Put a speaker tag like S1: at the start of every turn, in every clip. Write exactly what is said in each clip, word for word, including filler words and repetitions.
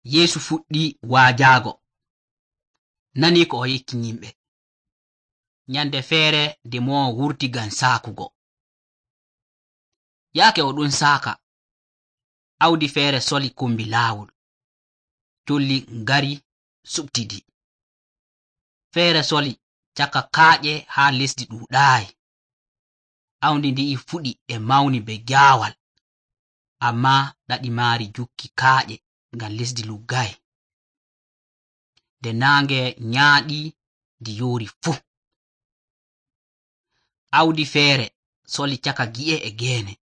S1: Yeesu fuɗɗi waajaago. Nani ko o yecci yimɓe. Nyande feere nde mo wurti ngam saakugo. Yaake o ɗon saaka, awdi feere soli kombi laawol. Colli ngari suɓtidi. Feere soli caka kaaƴe haa lesdi ɗuuɗaayi. Awdi ndi'i fuɗi e mawni be jaawal, ammaa ɗaɗi maari jukki kaaƴe ngam lesdi luggayi. Nde naange nyaaɗi ndi yoori fuu. Awdi feere soli caka gi'e e geene.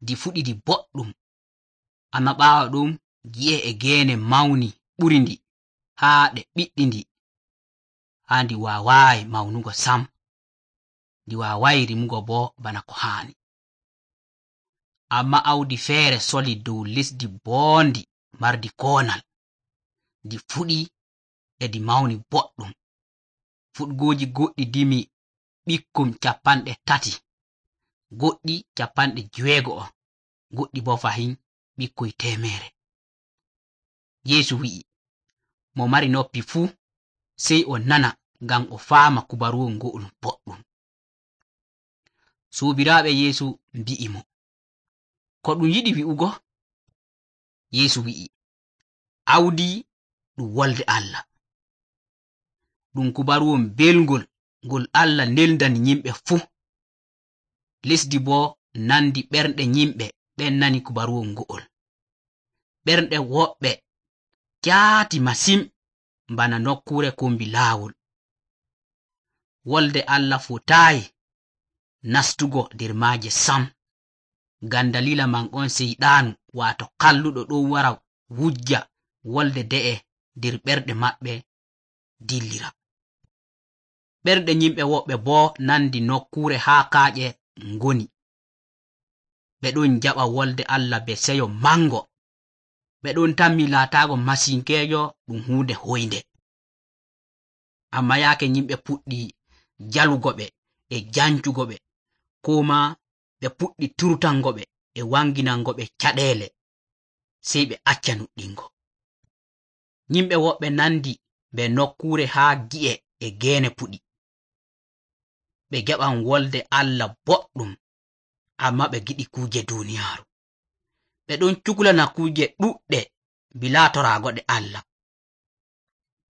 S1: Ndi fuɗidi boɗɗum, amma ɓaawo ɗum gi'e e geene mawni ɓuri ndi haa ɗe ɓiɗɗi ndi, haa ndi waawaayi mawnugo sam. Ndi waawaayi rimugo bo bana ko haani. Amma awdi feere soli dow lesdi boondi mardi koonal. Ndi fuɗi e ndi mawni boɗɗum. Fuɗgooji goɗɗi dimi ɓikkon capanɗe tati, goɗɗi capanɗe jewego'o, goɗɗi bo fahin ɓikkoy temere. Yeesu wi'i, mo mari noppi fuu sey o nana ngam o faama kubaruwol ngo'ol boɗɗum. Suubiraaɓe Yeesu mbi'i mo, ko ɗum yiɗi wi'ugo? Yeesu wi'i, awdi ɗum wolde Allah. Ɗum kubaruwol belgol ngol Allah neldani yimɓe fuu. Lesdi bo nandi ɓernde yimɓe ɓen nani kubaruwol ngo'ol. Ɓernde woɓɓe jaati masin bana nokkure kombi laawol. Wolde Allah fotaayi nastugo nder maaje sam. Ngam dalila man on seyɗaanu waato kalluɗo ɗon wara wujja wolde de'e nder ɓerɗe maɓɓe dillira. Ɓerɗe yimɓe woɓɓe bo nandi nokkure haa kaaƴe ngoni. Ɓe ɗon jaɓa wolde Allah be seyo mango. Ɓe ɗon tammi laataago masinkeejo ɗum huunde hoynde. Amma yaake yimɓe puɗɗi jalugo ɓe e jancugo ɓe, koo ma ɓe puɗɗi turtango ɓe e wanginango ɓe caɗeele, sey ɓe acca nuɗɗingo. Yimɓe woɓɓe nandi be nokkure haa gi'e e geene puɗi. Ɓe jaɓan wolde Allah boɗɗum, amma ɓe giɗi kuuje duuniyaaru. Ɓe ɗon cuklana kuuje ɗuɗɗe bilaa toraagoɗe Allah.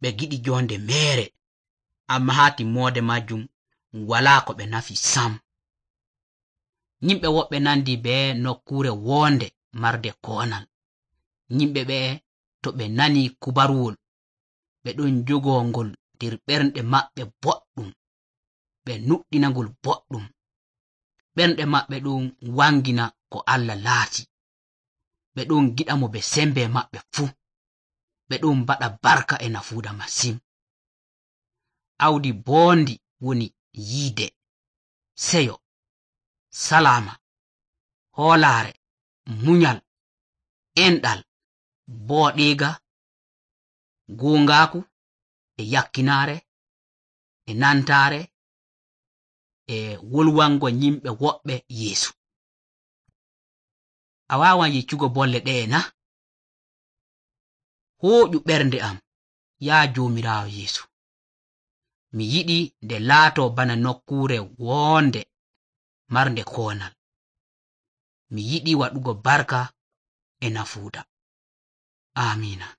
S1: Ɓe giɗi jonde meere, amma haa timmoode majjum walaa ko ɓe nafi sam. Yimɓe woɓɓe nandi be nokkure woonde marde koonal. Yimɓe ɓe to ɓe nani kubaruwol, ɓe ɗon jogoo ngol nder ɓernde maɓɓe boɗɗum, ɓe nuɗɗinangol boɗɗum. Ɓernde maɓɓe ɗon wangina ko Allah laati. Ɓe ɗon giɗa mo be sembe maɓɓe fuu. Ɓe ɗon mbaɗa barka e nafuuda masin. Awdi boondi woni yiide, seyo, salama, hoolaare, munyal, enɗal, booɗiiga, goongaaku, e yakkinaare, e nantaare, e wolwango yimɓe woɓɓe Yeesu. A waawan yeccugo bolle ɗe'e na? Hooƴu ɓernde am, yaa Joomiraawo Yeesu. Mi yiɗi nde laato bana nokkure woonde marnde koonal. Mi yiɗi waɗugo barka e nafuuda. Amiina.